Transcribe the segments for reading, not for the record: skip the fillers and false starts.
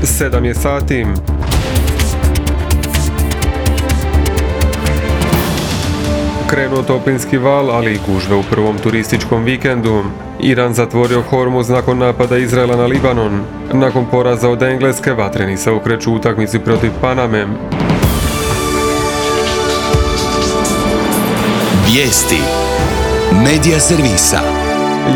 7 je sati. Krenuo toplinski val, ali i gužve u prvom turističkom vikendu. Iran zatvorio Hormuz nakon napada Izraela na Libanon. Nakon poraza od Engleske, vatreni se okreću utakmici protiv Paname. Vijesti Medija servisa.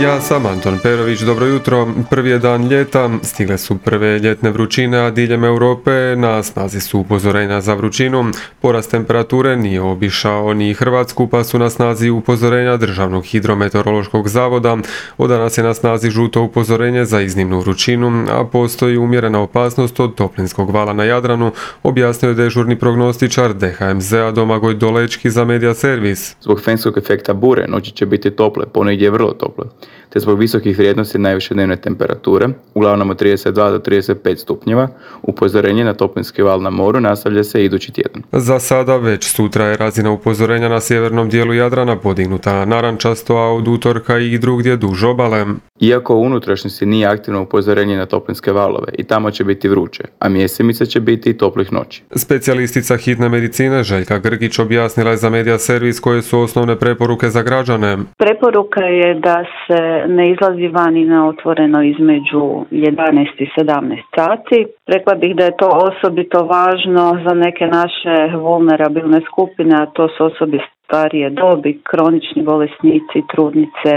Ja sam Anton Perović, dobro jutro. Prvi je dan ljeta, stigle su prve ljetne vrućine, a diljem Europe na snazi su upozorenja za vrućinu. Porast temperature nije obišao ni Hrvatsku, pa su na snazi upozorenja Državnog hidrometeorološkog zavoda. Od danas je na snazi žuto upozorenje za iznimnu vrućinu, a postoji umjerena opasnost od toplinskog vala na Jadranu, objasnio je dežurni prognostičar DHMZ-a Domagoj Dolečki za Medija servis. Zbog fenskog efekta bure noći će biti tople, ponegdje vrlo tople, te zbog visokih vrijednosti najviše dnevne temperature, uglavnom od 32 do 35 stupnjeva, upozorenje na toplinski val na moru nastavlja se idući tjedan. Za sada već sutra je razina upozorenja na sjevernom dijelu Jadrana podignuta narančasto, a od utorka i drugdje duž obale. Iako u unutrašnjosti nije aktivno upozorenje na toplinske valove, i tamo će biti vruće, a mjesemice će biti i toplih noći. Specijalistica hitne medicine Željka Grgić objasnila je za Medija servis koje su osnovne preporuke za građane. Preporuka je da se ne izlazi vani na otvoreno između 11 i 17 sati. Rekla bih da je to osobito važno za neke naše vulnerabilne skupine, a to su osobe starije dobi, kronični bolesnici, trudnice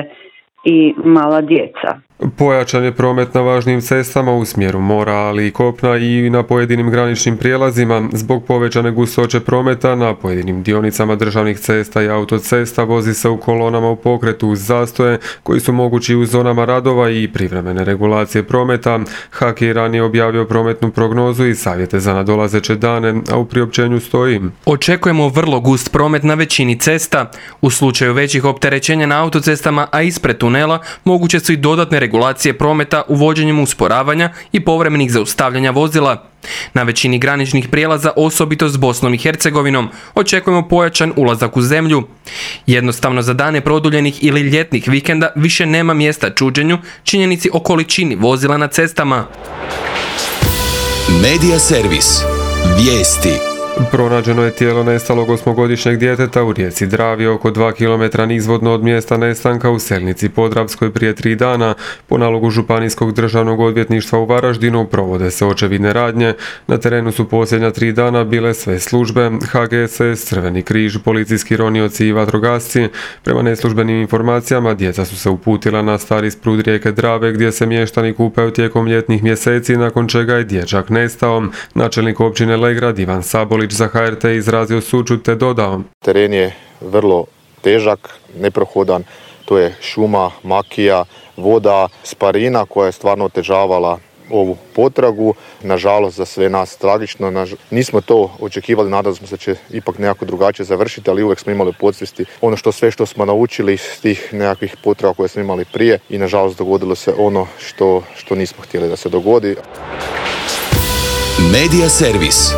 i mala djeca. Pojačan je promet na važnim cestama u smjeru mora, ali i kopna i na pojedinim graničnim prijelazima. Zbog povećane gustoće prometa na pojedinim dionicama državnih cesta i autocesta vozi se u kolonama u pokretu uz zastoje koji su mogući u zonama radova i privremene regulacije prometa. HAK je ranije objavio prometnu prognozu i savjete za nadolazeće dane, a u priopćenju stoji: očekujemo vrlo gust promet na većini cesta. U slučaju većih opterećenja na autocestama, a ispred tunela, moguće su i dodatne regulacije prometa uvođenjem usporavanja i povremenih zaustavljanja vozila. Na većini graničnih prijelaza, osobito s Bosnom i Hercegovinom, očekujemo pojačan ulazak u zemlju. Jednostavno za dane produljenih ili ljetnih vikenda više nema mjesta čuđenju činjenici o količini vozila na cestama. Medija servis. Vijesti. Pronađeno je tijelo nestalog 8-godišnjeg djeteta u rijeci Dravi oko 2 km nizvodno od mjesta nestanka u Selnici Podravskoj prije 3 dana. Po nalogu Županijskog državnog odvjetništva u Varaždinu provode se očevidne radnje. Na terenu su posljednja 3 dana bile sve službe, HGSS, Crveni križ, policijski ronioci i vatrogasci. Prema neslužbenim informacijama, djeca su se uputila na stari sprud rijeke Drave gdje se mještani kupaju tijekom ljetnih mjeseci, nakon čega je dječak nestao. Načelnik općine Legrad Ivan Sabolić za HRT izrazio sućut te dodao: teren je vrlo težak, neprohodan, to je šuma, makija, voda, sparina koja je stvarno otežavala ovu potragu. Nažalost za sve nas tragično, nismo to očekivali, nadali smo se da će ipak nekako drugačije završiti, ali uvijek smo imali u podsvijesti ono što smo naučili iz tih nekakvih potraga koje smo imali prije i nažalost dogodilo se ono što nismo htjeli da se dogodi. Medija servis.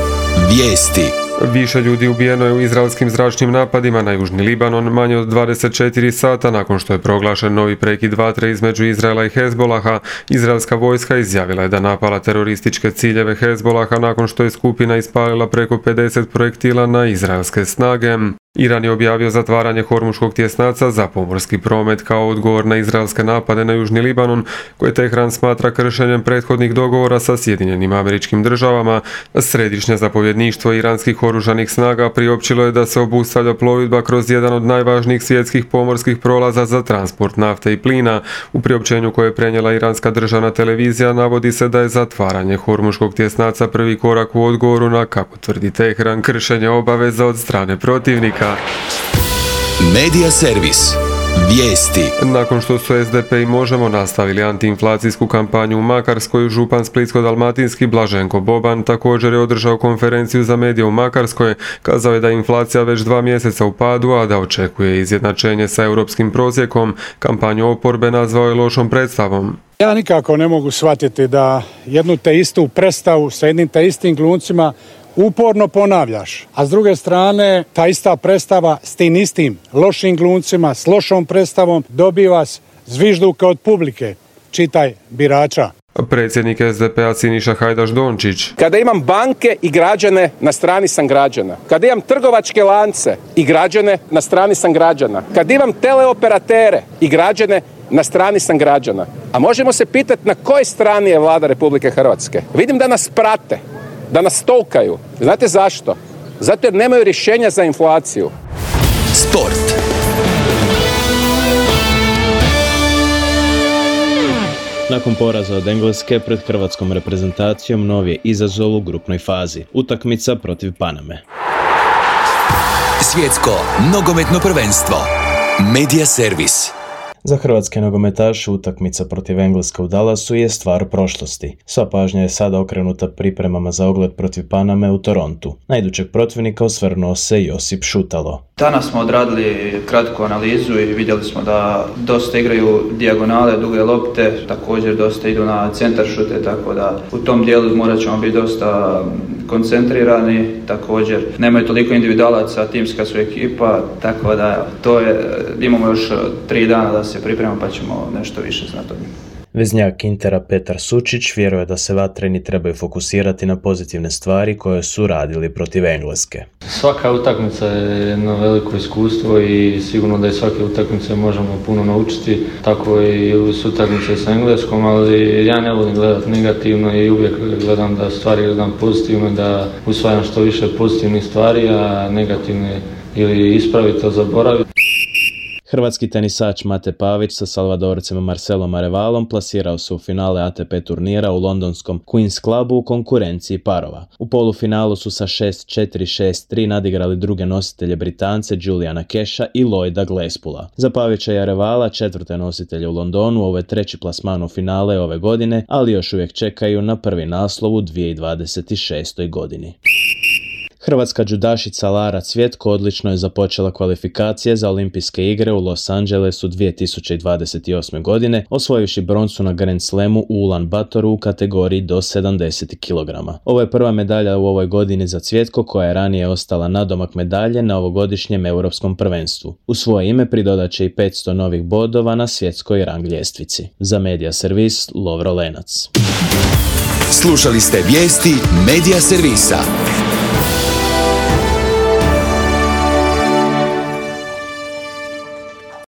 Vijesti. Više ljudi ubijeno je u izraelskim zračnim napadima na južni Libanon manje od 24 sata nakon što je proglašen novi prekid vatre između Izraela i Hezbolaha. Izraelska vojska izjavila je da napala terorističke ciljeve Hezbolaha nakon što je skupina ispalila preko 50 projektila na izraelske snage. Iran je objavio zatvaranje Hormuškog tjesnaca za pomorski promet kao odgovor na izraelske napade na južni Libanon, koje Tehran smatra kršenjem prethodnih dogovora sa Sjedinjenim Američkim Državama. Središnje zapovjedništvo iranskih oružanih snaga priopćilo je da se obustavlja plovidba kroz jedan od najvažnijih svjetskih pomorskih prolaza za transport nafte i plina. U priopćenju koje je prenijela iranska državna televizija navodi se da je zatvaranje Hormuškog tjesnaca prvi korak u odgovoru na, kako tvrdi Tehran, kršenje obaveza od strane protivnika. Medija servis. Vijesti. Nakon što su SDP i Možemo nastavili antiinflacijsku kampanju u Makarskoj, župan Splitsko-dalmatinski Blaženko Boban također je održao konferenciju za medije u Makarskoj. Kazao je da je inflacija već 2 mjeseca u padu, a da očekuje izjednačenje sa europskim prosjekom. Kampanju oporbe nazvao je lošom predstavom. Ja nikako ne mogu shvatiti da jednu te istu predstavu sa jednim te istim glumcima uporno ponavljaš, a s druge strane ta ista predstava s tim istim lošim glumcima, s lošom predstavom dobiva zvižduke od publike, čitaj birača. Predsjednik SDP-a Siniša Hajdaš Dončić. Kada imam banke i građane, na strani sam građana. Kada imam trgovačke lance i građane, na strani sam građana. Kada imam teleoperatere i građane, na strani sam građana. A možemo se pitati na kojoj strani je Vlada Republike Hrvatske. Vidim da nas prate, da nas stalkaju. Znate zašto? Zato jer nemaju rješenja za inflaciju. Sport. Nakon poraza od Engleske pred hrvatskom reprezentacijom novi je izazov u grupnoj fazi. Utakmica protiv Paname. Svjetsko nogometno prvenstvo. Media Servis. Za hrvatske nogometaše utakmica protiv Engleske u Dallasu je stvar prošlosti. Sva pažnja je sada okrenuta pripremama za ogled protiv Paname u Torontu. Na idućeg protivnika osvrnuo se Josip Šutalo. Danas smo odradili kratku analizu i vidjeli smo da dosta igraju dijagonale, duge lopte, također dosta idu na centar šute, tako da u tom dijelu morat ćemo biti dosta koncentrirani. Također nemaju toliko individualaca, timska su ekipa, tako da to je, imamo još 3 dana da se pripremamo pa ćemo nešto više znati od njih. Veznjak Intera Petar Sučić vjeruje da se vatreni trebaju fokusirati na pozitivne stvari koje su radili protiv Engleske. Svaka utakmica je jedno veliko iskustvo i sigurno da iz svake utakmice možemo puno naučiti, tako i s utakmice s Engleskom, ali ja ne volim gledati negativno i uvijek gledam da stvari gledam pozitivno, da usvajam što više pozitivnih stvari, a negativne ili ispraviti to zaboraviti. Hrvatski tenisač Mate Pavić sa Salvadorcem Marcelom Arevalom plasirao se u finale ATP turnira u londonskom Queen's Clubu u konkurenciji parova. U polufinalu su sa 6-4, 6-3 nadigrali druge nositelje Britance Juliana Casha i Lloyda Glasspola. Za Pavića i Arevala, četvrte nositelje u Londonu, ovo je treći plasman u finale ove godine, ali još uvijek čekaju na prvi naslov u 2026. godini. Hrvatska džudašica Lara Cvjetko odlično je započela kvalifikacije za olimpijske igre u Los Angelesu 2028. godine, osvojivši broncu na Grand Slamu u Ulan Batoru u kategoriji do 70 kg. Ovo je prva medalja u ovoj godini za Cvjetko, koja je ranije ostala nadomak medalje na ovogodišnjem europskom prvenstvu. U svoje ime pridodat će i 500 novih bodova na svjetskoj rang ljestvici. Za Media Servis, Lovro Lenac. Slušali ste vijesti Media Servisa.